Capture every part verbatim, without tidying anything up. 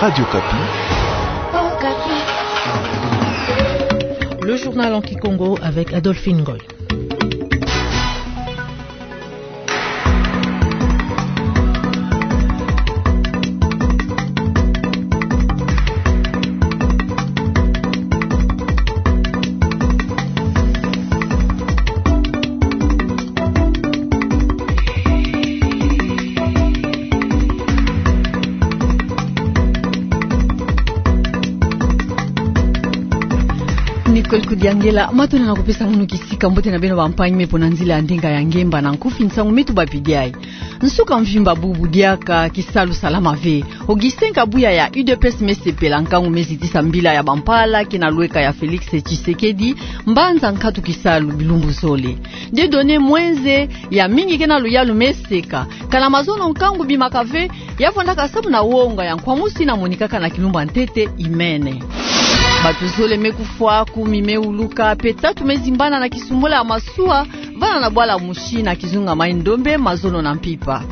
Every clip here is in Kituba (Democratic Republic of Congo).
Radio Okapi. Le journal en kikongo avec Adolphine Ngoy. Nicole Kudiangela, matondo na kupesa ngunu kisika. Mbote na beno bampangi me mpo na nzila ya ndinga ya ngemba na nkufi nsangu me tubapidi ayi. Nsuka mvimba bubu diaka kisalu salama ve. Augustin Kabuya ya U D P S me sepela nkangu me zitisa mbila ya bampala ke na lweka ya Félix Tshisekedi, mbanza nkatu kisalu bilumbu zole. Dieudonné Mwenze, ya mingi ke na luyalu me seka. Kana mazono nkangu bimaka ve, ya vwandaka samu na wonga ya nkwamusu yina monikaka na kilumbu ya ntete imene. Bantu zole me kufwa, kumi me wuluka, mpe tatu me zimbana na kisumbula ya masuwa, vana na bwala Mouchy na kizunga Maï-Ndombe, mazono na mpimpa.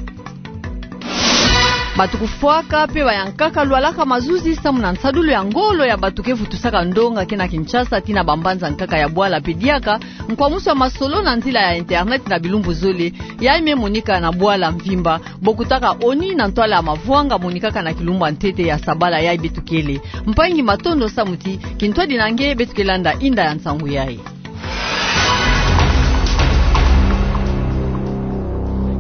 Bantu kufwaka mpe bayankaka lwalaka mazuzi samu na nsadulu ya ngolo ya bantu ke vutusaka ndonga ke na Kinshasa tii na bambanza nkaka ya bwala mpe diaka nkwamusu ya masolo na nzila ya internet na bilumbu zole, yayi me monika na bwala mvimba, bokutaka ONU na ntwala ya mavwanga monikaka na kilumbu ya ntete ya sabala yayi beto kele. Mpangi, matondo samu ti kintwadi na nge beto ke landa inda ya nsangu yayi.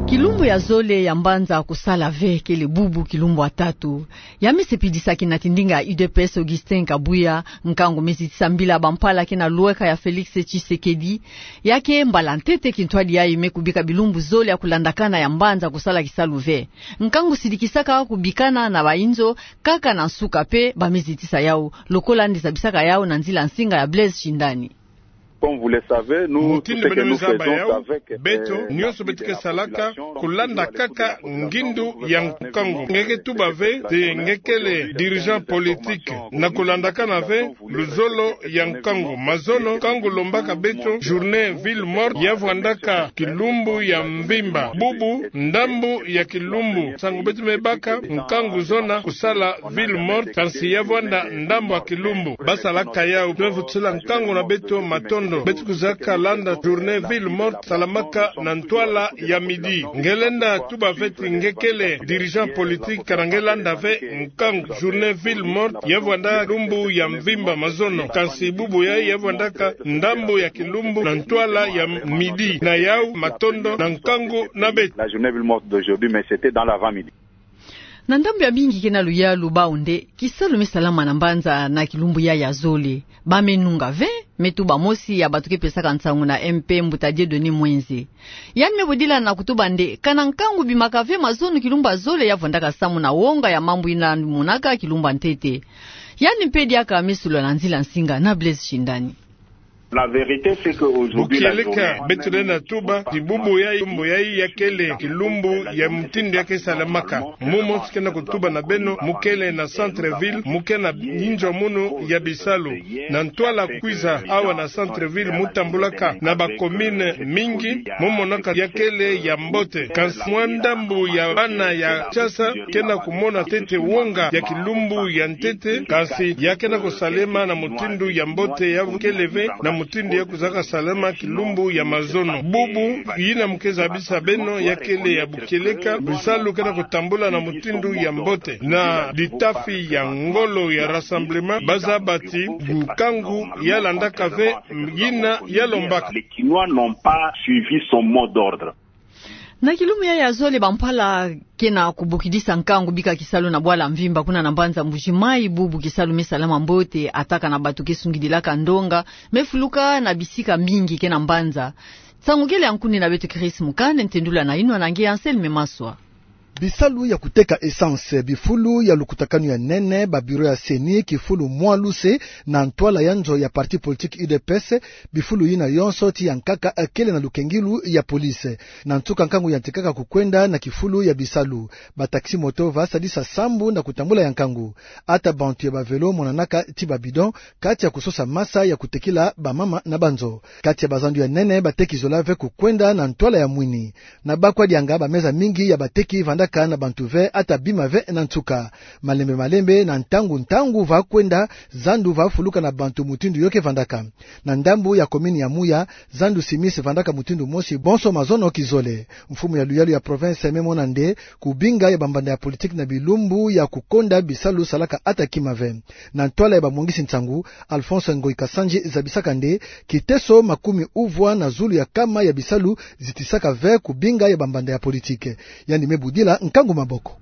Kilumbu ya zole ya mbanza kusala ve kele bubu kilumbu ya tatu. Ya me sepelisa kina ti ndinga ya U D P S Augustin Kabuya, nkangu me zitisa mbila bampala ke na lweka ya Félix Tshisekedi. Ya ke mbala ntete kintwadi yayi me kubika bilumbu zole ya kulandakana ya mbanza kusala kisalu ve. Nkangu sidikisaka kubikana na bayinzo, kaka na nsuka mpe ba me zitisa yawu, lokola nde zabisaka yawu na nzila nsinga ya Blaise Shindani. Comme vous le savez, nous, tout ce que nous faisons avec, euh, l'appui de la population, nous allons chercher à ce que, euh, Mutindu beno me zaba yawu, beto, nyonso beto ke salaka, kulanda kaka ngindu ya nkangu. Nge ke tuba ve, ti nge kele dirigeant politique, na kulandakana ve luzolo ya nkangu. Mazono, nkangu lombaka beto journée ville morte, ya vwandaka kilumbu ya mvimba. Bubu, ndambu ya kilumbu. Nsangu beto me baka, nkangu zona kusala ville morte, kansi ya vwanda ndambu ya kilumbu. Basalaka yawu, me vutusila nkangu na beto matondo. Beto kuzaka landa journée ville morte salamaka na ntwala ya midi. Nge lenda tuba ve ti nge kele dirigeant politique, kana nge landa ve nkangu journée ville morte ya vwanda kilumbu ya mvimba, mazono. Kansi bubu yayi ya vwandaka ndambu ya kilumbu na ntwala ya midi. Na yawu matondo na nkangu na beto. La journée ville morte d'aujourd'hui, mais c'était dans l'avant-midi. Na ndambu ya mingi ke na luyalu bawu nde kisalu me salama na mbanza na kilumbu yayi ya zole. Ba me nunga ve, me tuba mosi ya bantu ke pesaka nsangu na M P, mbuta Dieudonné Mwenze. Yandi me bodila na kutuba nde kana nkangu bimaka ve mazono kilumbu ya zole, ya vwandaka samu na wonga ya mambu yina monaka kilumbu ya ntete. Yandi mpe diaka me solola na nzila nsinga na Blaise Shindani. La vérité, c'est que aujourd'hui, la journée... Bukieleka, beto lenda tuba ti bubu yayi, kilumbu yayi ya kele kilumbu ya mutindu ya ke salamaka. Mumonso ke na kutuba na beno, mu kele na centre-ville, mu ke na yinzo munu ya bisalu. Na ntwala kwiza awa na centre-ville, mu tambulaka na ba commune mingi, mu monaka ya kele ya mbote. Kansi mwa ndambu ya bana ya Kinshasa ke na kumona ntete wonga ya kilumbu ya ntete, kansi ya ke na kusalema na mutindu ya mbote, ya kele ve na mutindu ya kuzaka salama kilumbu ya mazono. Bubu yina mu ke zabisa beno ya kele ya bukieleka, bisalu ke na kutambula na mutindu ya mbote. Na litafi ya ngolo ya Rassemblement, ba zaba ti nkangu ya landaka ve yina ya lombaka. Les Kinois n'ont pas suivi son mot d'ordre. Na kilumbu yayi ya zole, bampala ke na kubokidisa nkangu bika kisalu na bwala mvimba kuna na mbanza Mbuji-Mayi. Bubu kisalu me salama mbote, ataka na bantu ke sungidilaka ndonga, me fuluka na bisika mingi ke na mbanza. Nsangu kele ya nkundi na beto Chris Mukande, ntendula na yinwa na nge Anselme Maswa. Bisalu ya kuteka essence, bifulu ya lukutakanu ya nene, ba bureau ya CENI, kifulu mwa luse na ntwala ya nzo ya parti politique U D P S, bifulu yina yonso ti ya nkaka kele na lukengilu ya police. Na nsuka nkangu yantikaka kukwenda na kifulu ya bisalu. Ba taxi-moto va sadisa sambu na kutambula ya nkangu. Ata bantu ya ba vélo monanaka ti ba bidon, kati ya kusosa masa ya kutekila bamama na banzo. Kati ya bazandu ya nene, bateki zola ve kukwenda na ntwala ya mwini. Na Bakwadianga, bameza mingi ya bateki vanda aka na bantu ve ata bima ve na nsuka. Malembe malembe na ntangu ntangu va kwenda, zandu va fuluka na bantu mutindu yo ke vandaka. Na ndambu ya commune ya Mouya, zandu simise vandaka mutindu mosi bonso mazono kizole. Mfumu ya luyalu ya province me mona nde kubinga ya bambanda ya politique na bilumbu ya kukonda bisalu salaka ata kima ve. Na ntwala ya bamwangisi nsangu, Alphonse Ngoyi Kasanji zabisaka nde kiteso makumi uvwa na zulu ya kama ya bisalu zitisaka ve kubinga ya bambanda ya politique. Yandi me budila nkangu maboko.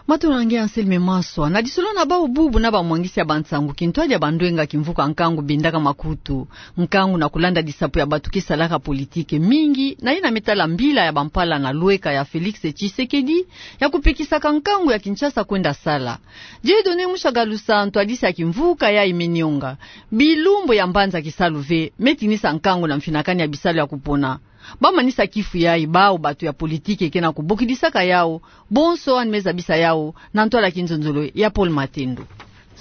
Matondo na nge Anselme Maswa. Na lisolo na bau bubu na bamwangisi ya bansangu, kintwadi ya bandwenga kimvuka nkangu bindaka makutu. Nkangu na kulanda disapo ya batu ke salaka politique mingi, na yina me tala mbila ya bampala na lweka ya Félix Tshisekedi ya kupekisaka nkangu ya Kinshasa kwenda sala. Dieudonné Mushagalusa, ntwadisi ya kimvuka yayi me nionga: bilumbu ya mbanza kisalu ve me tinisa nkangu na mfinakani ya bisalu ya kupona. Ba manisa kifu yayi bau batu ya politique ke na kubokidisaka yau, bonso yandi me zabisa yau na ntwala ya kinzonzolo ya Paul Matendo.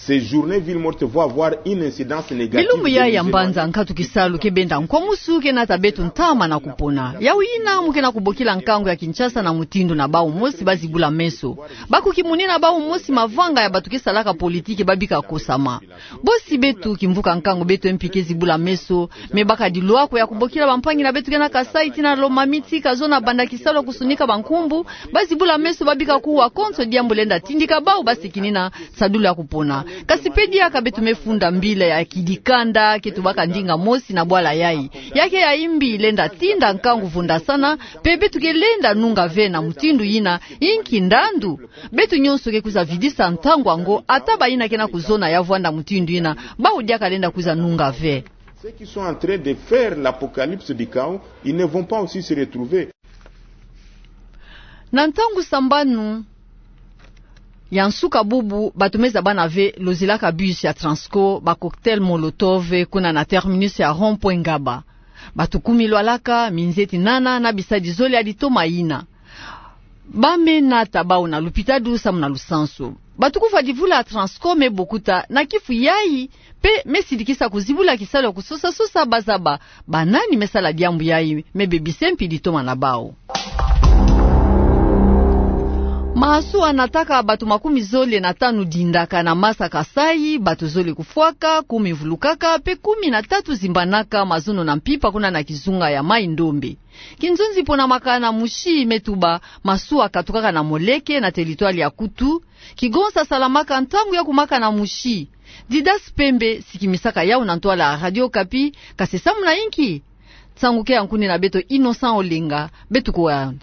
Ces journées ville morte vont avoir une incidence négative. Bilumbu yayi ya mbanza nkatu kisalu ke benda nkwamusu ke nata beto ntama na kupona. Yau yina mu ke na kubokila nkangu ya Kinshasa na mutindu na bau mosi ba zibula meso. Ba kukimunina bau mosi mavanga ya batu ke salaka politique ba bika kosama. Bosi beto kimvuka nkangu beto M P ke zibula meso, me baka dilwako ya kubokila bampangi na beto ke na Kasaï tii na Lomami tii ka zona banda kisalu ya kusunika bankumbu, ba zibula meso ba bika kuwa konso diambu lenda tindika bau ba sikinina sadulu ya kupona. Kasi pe diaka beto me funda mbila ya kidikanda ke tubaka ndinga mosi na bwala yayi. Ya ke ya imbi lenda tinda nkangu vundasana, pe beto ke lenda nunga ve na mutindu yina, inki ndandu. Beto nyonso ke kwiza vidisa ntangu yango, ata bayina ke na kuzona ya vwanda mutindu yina, bau diaka lenda kwiza nunga ve. Ceux qui sont en train de faire l'apocalypse du chaos, ils ne vont pas aussi se retrouver. Na ntangu sambanu ya nsuka bubu, batu me zabana ve lozilaka bus ya Transco ba cocktail Molotov kuna na terminus ya rond-point Ngaba. Batu kumi lwalaka, minzeti nana na bisadi zole ya litoma yina. Ba me nata bau na lupitalu samu na lusansu. Batu kufwa divula ya Transco me bokuta na kifu yayi, pe me sidikisa kuzibula kisalu ya kusosa-sosa ba zaba banani me sala diambu yayi me bebisa mpi litoma na bau. Masuwa nataka batu makumi zole na tanu dindaka na Masa Kasaï, batu zole kufwaka, kumi vulukaka, pe kumi na tatu zimbanaka mazono na mpimpa kuna na kizunga ya Maï-Ndombe. Kinzonzi pona makala na musi me tuba, masuwa katukaka na Moleke na territoire ya Koutou, kigonsa salamaka ntangu ya kumakana musi. Didas Pembe sikimisaka yau na ntwala ya Radio Okapi, kasi samu na inki? Nsangu ke ya nkuni na beto Innocent Olenga, beto kuwa.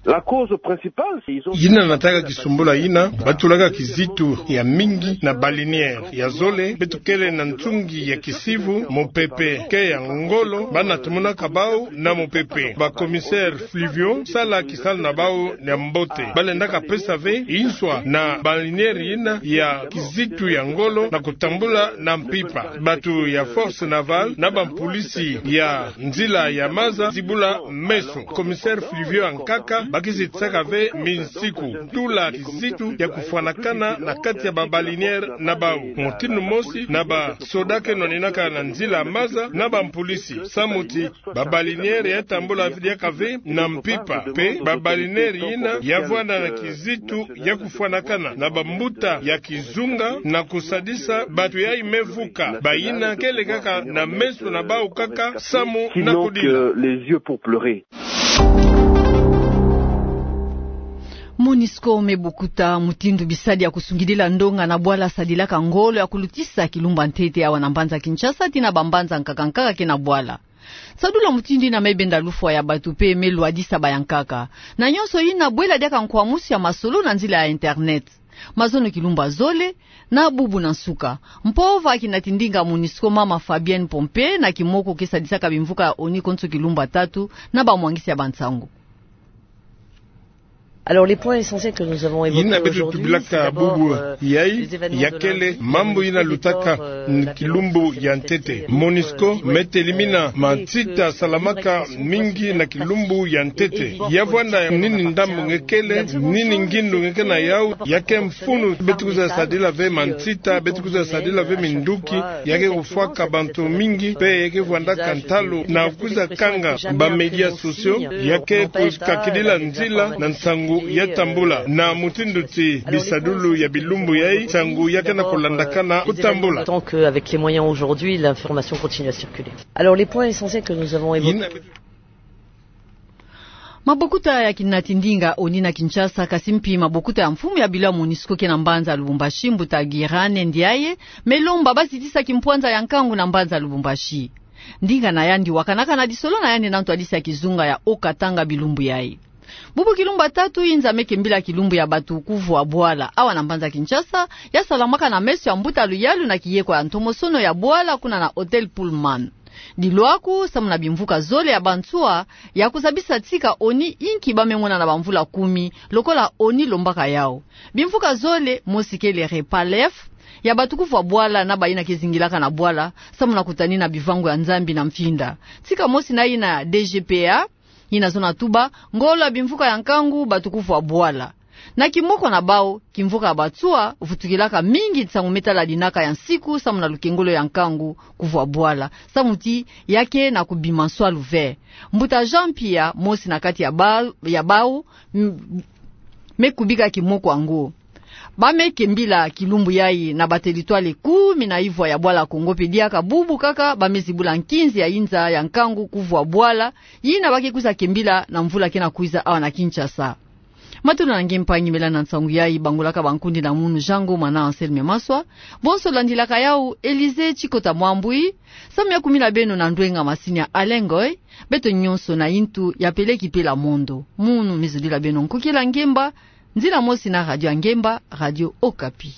La cause principale, c'est ils ont... Yina nataka kisumbula yina, ba tulaka kizitu ya mingi na baleinière. Ya zole, beto kele na nsungi ya kisivu, mopepe ke ya ngolo, ba na tumunaka bau na mopepe. Ba commissaires fluviaux sala kisalu na bau ya mbote. Ba lendaka pesa ve inswa na baleinière yina ya kizitu ya ngolo na kutambula na mpimpa. Batu ya force navale na bampulisi ya nzila ya maza zibula meso. Commissaire fluviaux ya nkaka, ba kizitisaka ve minsiku tula kizitu ya kufwanakana na kati ya ba baleinière na bau. Mutindu mosi na ba soda ke nwaninaka na nzila ya maza na bampulisi. Samu ti ba baleinière ya tambula diaka ve na mpimpa, pe ba baleinière yina ya vwanda na kizitu ya kufwanakana na bambuta ya kizunga na kusadisa batu yayi me vuka. Bayina kele kaka na meso na bau kaka samu na kudila. Qui n'ont que les yeux pour pleurer. Monusco me bokuta mutindu bisadi ya kusungidila ndonga na bwala sadilaka ngolo ya kulutisa kilumbu ya ntete awa na mbanza Kinshasa tii na bambanza nkaka nkaka ke na bwala. Sadulu ya mutindu yina me benda lufwa ya batu pe me lwadisa bayankaka. Na nyonso yina bwela diaka nkwamusu ya masolo na nzila ya internet. Mazono kilumbu ya zole, na bubu na nsuka. Mpova kinatindinga Monusco, mama Fabienne Pompée, na kimoko ke sadisaka bimvuka ya ONU konso kilumbu ya tatu, na bamwangisi ya bansangu. Alors, les points essentiels que nous avons évoqués aujourd'hui, c'est d'abord, euh, les événements de lundi, qui ont, euh, la catastrophe, euh, la violence, la sécurité, euh, et, euh, la guerre, euh, qui a frappé, euh, la République centrafricaine. Yina beto tubilaka bubu yayi, ya kele mambu yina lutaka na kilumbu ya ntete. Monusco me telimina mansita salamaka mingi na kilumbu ya ntete. Ya vwanda nini ndambu nge kele, nini ngindu nge ke na yau, ya ke mfunu beto kwiza sadila ve mansita, beto kwiza sadila ve minduki, ya ke kufwaka bantu mingi, pe ya ke vwandaka ntalu na kwiza kanga ba médias sociaux, ya ke kukakidila nzila na nsangu ya tambula na mutindu ti bisadulu ya bilumbu yai, ntangu ya ke na kulandakana kutambula. Tant qu'avec les moyens aujourd'hui, l'information continue à circuler. Alors, les points essentiels que nous avons évoqués. Mabokuta ya kinati ndinga oni na Kinshasa, kasi mpi mabokuta ya mfumu ya bilo ya MONUSCO ke na mbanza Lubumbashi, mbuta Girane Ndiaye, me lomba bazi tisa kimpwanza ya nkangu na mbanza Lubumbashi. Ndinga na yandi wakanaka na lisolo na yandi na ntwadisi ya kizunga ya Haut-Katanga bilumbu yai. Bubu kilumbu ya tatu inza me kembila kilumbu ya batukuvwa bwala awa na mbanza Kinshasa, ya salamaka na meso ya mbuta luyalu na kiyekwa ya ntomosono ya bwala kuna na Hotel Pullman. Dilu aku samu na bimvuka zole ya bansuwa ya kuzabisa tika oni inki ba me ngona na bamvula kumi, lokola oni lombaka yau. Bimvuka zole, mosi kele repas lef, ya batukuvwa bwala na bayina ke zingilaka na bwala, samu na kutanina bivangu ya Nzambi na mfinda. Tika mosi na yina D G P A, yina zona tuba ngolo ya bimvuka ya nkangu batukuvwa bwala. Na kimoko na bau, kimvuka ya bansuwa vutukilaka mingi nsangu me tala dinaka ya nsiku samu na lukengolo ya nkangu kuvwa bwala, samu ti ya ke na kubima nswalu ve. Mbuta Jean Pierre, mosi na kati ya ba-, ya bau, m-, me kubika kimoko yango. Ba me kembila kilumbu yai na bateritwale kumi na ivwa ya bwala Kongo, mpe diaka bubu kaka ba me zibula nkinzi ya inza ya nkangu kuvwa bwala, yina ba ke kwiza kembila na mvula ke na kwiza awa na Kinshasa. Matolo na nge mpangi, mela na nsangu yai bangolaka bankundi na munu, Jean Ngo mwana Anselme Maswa. Bonso landilaka yau, Élysée Tshikota Mwambwi, samu ya kumila beno na ndwenga masini ya Alain Ngoy. Beto nyonso na yintu ya peleki pela mondo. Munu mizudila beno Nkokila Ngemba, nzila mosi na Radio ya Ngemba, Radio Okapi.